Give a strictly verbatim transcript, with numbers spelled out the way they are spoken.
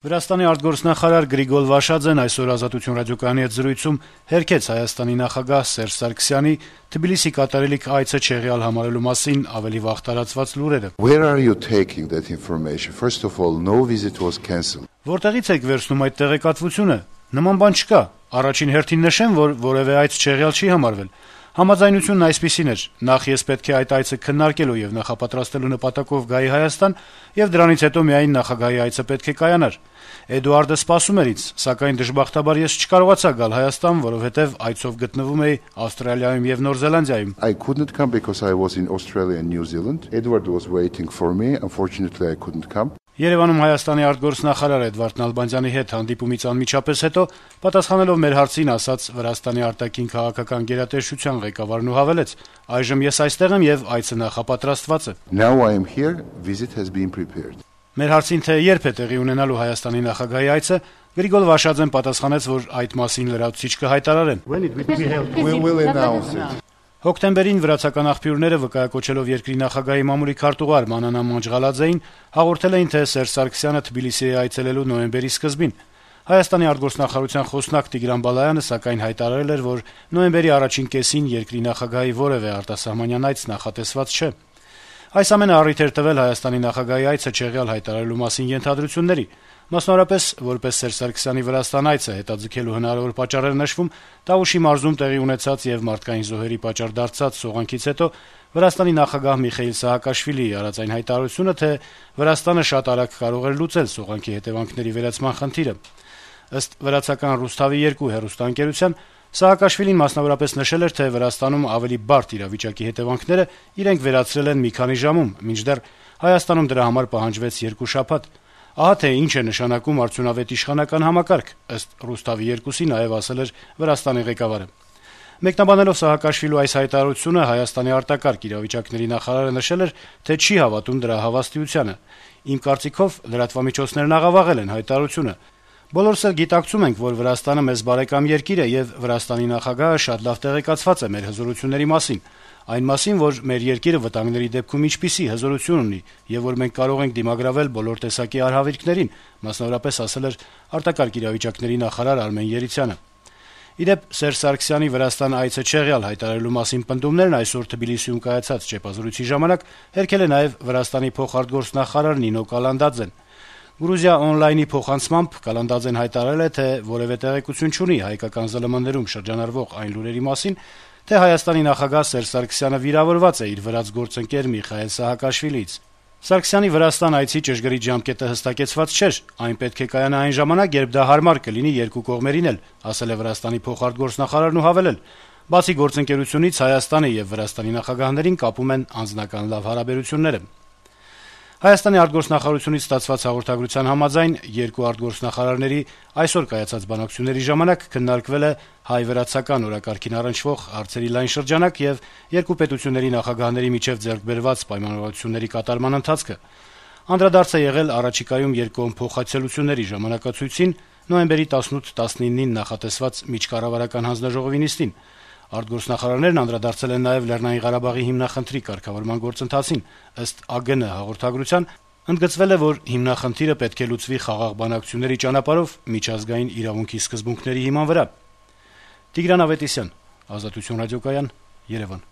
Վրաստանի արտգործնախարար Գրիգոր Վաշաձեն այսօր «Ազատություն» ռադիոկայանի հետ զրույցում հերքեց Հայաստանի նախագահ Սերժ Սարգսյանի Թբիլիսի կատարելիք այցը չեղյալ համարելու մասին ավելի վաղ տարածված լուրերը։ Where are you taking that information? First of all, no visit was cancelled. Որտեղից եք վերցնում այդ տեղեկատվությունը։ Նման բան չկա։ Առաջին հերթին նշեմ, որ որևէ այց չեղյալ չի համարվել։ Համաձայնությունն այսպիսին էր. նախ ես պետք է այդ այցը քննարկելու եւ նախապատրաստելու նպատակով գայի Հայաստան, եւ դրանից հետո միայն նախագահի այցը պետք է կայանար։ Էդուարդը սպասում էր ինձ, սակայն դժբախտաբար ես չկարողացա գալ Հայաստան, որովհետեւ այցով գտնվում էի Ավստրալիայում եւ Նոր Զելանդիայում։ I couldn't come because I was in Australia and New Zealand. Edward was waiting for me. Unfortunately, I couldn't come. Երևանում Հայաստանի արտգործնախարար Էդվարդ Նալբանդյանի հետ հանդիպումից անմիջապես հետո պատասխանելով մեր հարցին ասաց Վրաստանի արտաքին քաղաքական գերատեսչության ղեկավարն ու հավելեց. այժմ ես այստեղ եմ եւ այցը նախապատրաստված է։ Now I am here. Visit has been prepared. Մեր հարցին թե երբ է տեղի ունենալու Հայաստանի նախագահի այցը, Գրիգոր Վաշաձեն պատասխանեց, որ այդ մասին լրացուցիչ կհայտարարեն։ We will announce it. Հոկտեմբերին վրացական աղբյուրները վկայակոչելով երկրի նախագահի մամուլի քարտուղար Մանանա Մանջղալաձեին հաղորդել էին, թե Սերժ Սարգսյանը Թբիլիսի է այցելելու նոյեմբերի սկզբին։ Հայաստանի արտգործնախարարության խոսնակ Տիգրան Բալայանը սակայն հայտարարել էր, որ նոյեմբերի առաջին կեսին երկրի նախագահի որևէ արտասահմանյան այց նախատեսված չէ։ Այս ամենը առիթ էր տվել Հայաստանի նախագահի այցը չեղյալ հայտարարելու մասին ենթադրությունների։ Մասնավորապես, որպես Սերժ Սարգսյանի Վրաստան այցը հետաձգելու հնարավոր պատճառեր նշվում, Տավուշի մարզում տեղի ունեցած եւ մարդկային զոհերի պատճառ դարձած սողանքից հետո Վրաստանի նախագահ Միխեիլ Սահակաշվիլիի արած այն հայտարարությունը, թե Վրաստանը շատ արագ կարող էր լուծել սողանքի հետեւանքների վերացման խնդիրը։ Ըստ վրացական Ռուսթավի երկու հեռուստաընկերության, Սահակաշվիլին մասնավորապես նշել էր, թե Վրաստանում ավելի բարդ իրավիճակի հետեւանքները իրենք վերացրել են մի քանի ժամում, մինչդեռ Հայաստանում դրա համար պահանջվեց երկու շաբաթ։ Ահա թե ինչ է նշանակում արդյունավետ իշխանական համակարգ, ըստ Ռուսթավի երկուսի նաև ասել էր Վրաստանի ղեկավարը։ Մեկնաբանելով Սահակաշվիլու այս հայտարարությունը, Հայաստանի արտակարգ իրավիճակների նախարարը նշել էր, թե չի հավատում դրա հավաստիությանը։ Իմ կարծիքով լրատվամիջոցներն աղավաղել են հայտարարությունը։ Բոլորս էլ գիտակցում ենք, որ Վրաստանը մեզ բարեկամ երկիր է եւ Վրաստանի նախագահը շատ լավ տեղեկացված է մեր հզորությունների մասին, այն մասին, որ մեր երկիրը վտանգների դեպքում ինչպիսի հզորություն ունի եւ որ մենք կարող ենք դիմագրավել բոլոր տեսակի արհավիրքներին, մասնավորապես ասել էր արտակարգ իրավիճակների նախարար Արմեն Երիցյանը։ Իդեպ Սերժ Սարգսյանի Վրաստան այցը չեղյալ հայտարարելու մասին պնդումներն այսօր Թբիլիսիում կայացած ճեպազրույցի ժամանակ հերքել է նաեւ Վրաստանի փոխարտգործնախարար Նինո Կալանդաձեն։ Գրուզիա on-line-ի փոխանցմամբ Կալանդաձեն հայտարարել է, թե որևէ տեղեկություն չունի հայկական ԶԼՄ-ներում շրջանառվող այն լուրերի մասին, թե Հայաստանի նախագահ Սերժ Սարգսյանը վիրավորված է իր վրաց գործընկեր Միխայել Սահակաշվիլիից։ Սարգսյանի Վրաստան այցի ճշգրիտ ժամկետը հստակեցված չէր, այն պետք է կայանա այն ժամանակ, երբ դա հարմար կլինի երկու կողմերին էլ, ասել է Վրաստանի փոխարտգործնախարարն ու հավելել. բացի գործընկերությունից Հայաստանը եւ Վրաստանի նախագահներին կապում են անձնական լավ հարաբերությունները։ Հայաստանի արտգործնախարարությունից ստացված հաղորդագրության համաձայն երկու արտգործնախարարների այսօր կայացած բանակցությունների ժամանակ քննարկվել է հայ-վրացական օրակարգին առնչվող հարցերի լայն շրջանակ եւ երկու պետությունների նախագահների միջեւ ձեռք բերված պայմանավորվածությունների կատարման ընթացքը։ Անդրադարձ է եղել առաջիկայում երկկողմ փոխայցելությունների ժամանակացույցին նոյեմբերի տասնութ-տասնինին նախատեսված միջկառավարական հանձնաժողովի նիստին։ Արտգործնախարարներն անդրադարձել են նաև Լեռնային Ղարաբաղի հիմնախնդրի կարգավորման գործընթացին, ըստ ԱԳՆ հաղորդագրության, ընդգծվել է, որ հիմնախնդիրը պետք է լուծվի խաղաղ բանակցությունների ճանապարհով միջազգային իրավունքի սկզբունքների հիման վրա։ Տիգրան Ավետիսյան, Ազատություն ռադիոկայան, Երևան։